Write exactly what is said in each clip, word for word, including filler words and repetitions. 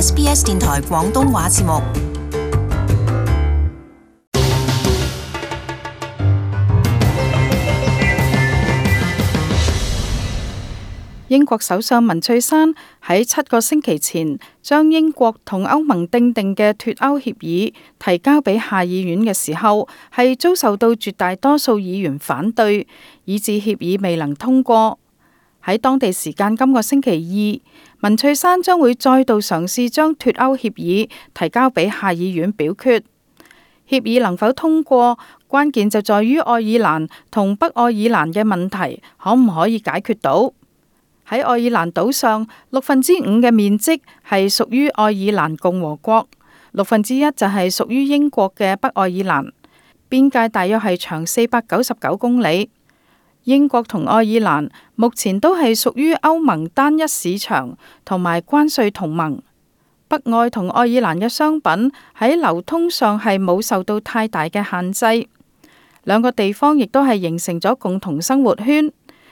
S B S 電台廣東話節目。英國首相文翠珊喺七個星期前將英國同歐盟訂定嘅脫歐協議提交俾下議院嘅時候，係遭受到絕大多數議員反對，以致協議未能通過。喺當地時間今個星期二，文翠珊將會再度嘗試將脫歐協議提交俾下議院表決。協議能否通過，關鍵就在於愛爾蘭同北愛爾蘭嘅問題可唔可以解決到。喺愛爾蘭島上，六分之五嘅面積係屬於愛爾蘭共和國，六分之一就係屬於英國嘅北愛爾蘭。邊界大約係長四百九十九公里。英國同愛爾蘭目前都係屬於歐盟單一市場同埋關稅同盟。北愛同愛爾蘭嘅商品喺流通上係冇受到太大嘅限制，兩個地方亦都係形成咗共同生活圈。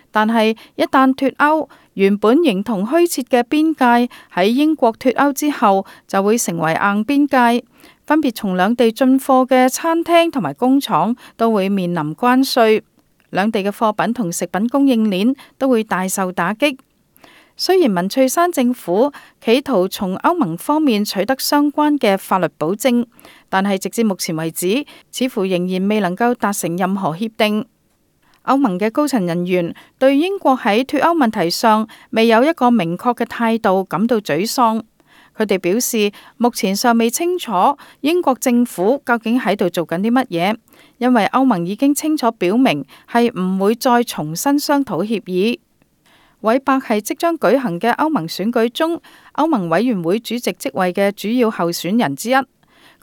但係一旦脫歐，原本形同虛設嘅邊界喺英國脫歐之後就會成為硬邊界，分別從兩地進貨嘅餐廳同埋工廠都會面臨關稅，兩地嘅貨品同食品供應鏈都會大受打擊。雖然文翠珊政府企圖從歐盟方面取得相關嘅法律保證，但係直至目前為止，似乎仍然未能夠達成任何協定。歐盟嘅高層人員對英國喺脫歐問題上未有一個明確嘅態度感到沮喪。佢哋表示，目前尚未清楚英國政府究竟喺度做緊啲乜嘢，因為歐盟已經清楚表明係唔會再重新商討協議。韋伯係即將舉行嘅歐盟選舉中歐盟委員會主席職位嘅主要候選人之一。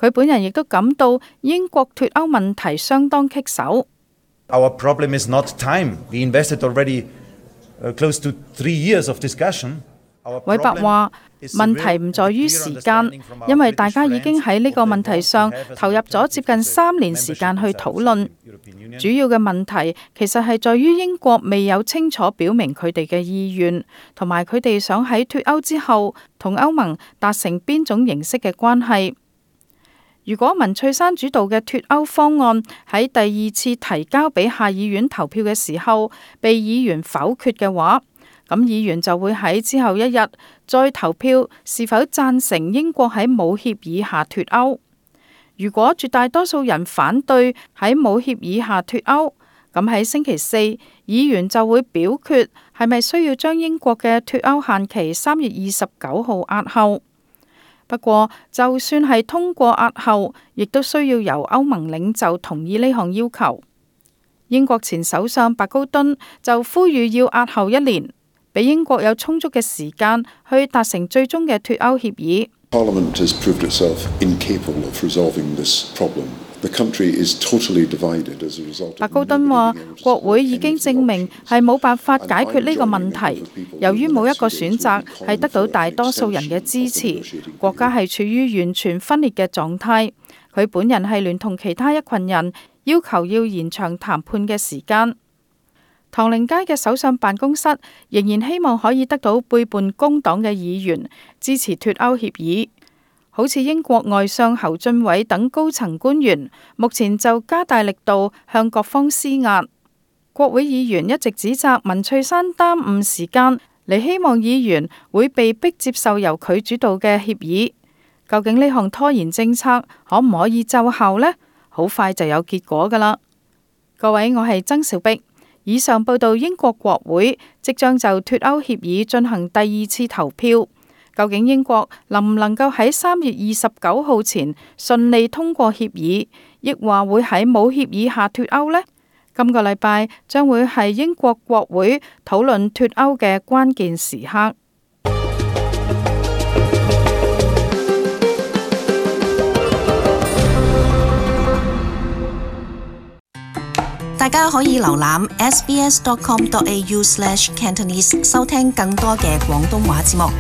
佢本人亦都感到英國脫歐問題相當棘手。Our problem is not time. We invested already close to three years of discussion. 韋伯話：問題唔在於時間，因為大家已經喺呢個問題上投入咗接近三年時間去討論。主要嘅問題其實係在於英國未有清楚表明佢哋嘅意願，同埋佢哋想喺脫歐之後同歐盟達成邊種形式嘅關係。如果文翠珊主導嘅脫歐方案喺第二次提交俾下議院投票嘅時候被議員否決嘅話，咁議員就會喺之後一日再投票是否贊成英國喺冇協議下脫歐。如果絕大多數人反對喺冇協議下脫歐，咁喺星期四議員就會表決係咪需要將英國嘅脫歐限期三月二十九號押後。不過，就算係通過押後，亦都需要由歐盟領袖同意呢項要求。英國前首相白高敦就呼籲要押後一年，俾英國有充足嘅時間去達成最終嘅脫歐協議。Parliament has proved itself incapable of resolving this problem. The country is totally divided as a result. 白高敦話：國會已經證明係冇辦法解決呢個問題，由於冇一個選擇係得到大多數人嘅支持，國家係處於完全分裂嘅狀態。佢本人係聯同其他一群人要求要延長談判嘅時間。唐寧街嘅首相辦公室仍然希望可以得到背叛工黨嘅議員支持脫歐協議。好似英國外相侯俊偉等高層官員，目前就加大力度向各方施壓。國會議員一直指責文翠珊耽誤時間，嚟希望議員會被迫接受由佢主導嘅協議。究竟呢項拖延政策可唔可以奏效呢？好快就有結果㗎喇。各位，我係曾兆碧。以上報道英國國會即將就脫歐協議進行第二次投票。究竟英國能唔能夠喺三月二十九號前順利通過協議，抑或會喺冇協議下脫歐呢？今個禮拜將會係英國國會討論脫歐嘅關鍵時刻。大家可以瀏覽 s b s dot com dot a u slash cantonese 收聽更多嘅廣東話節目。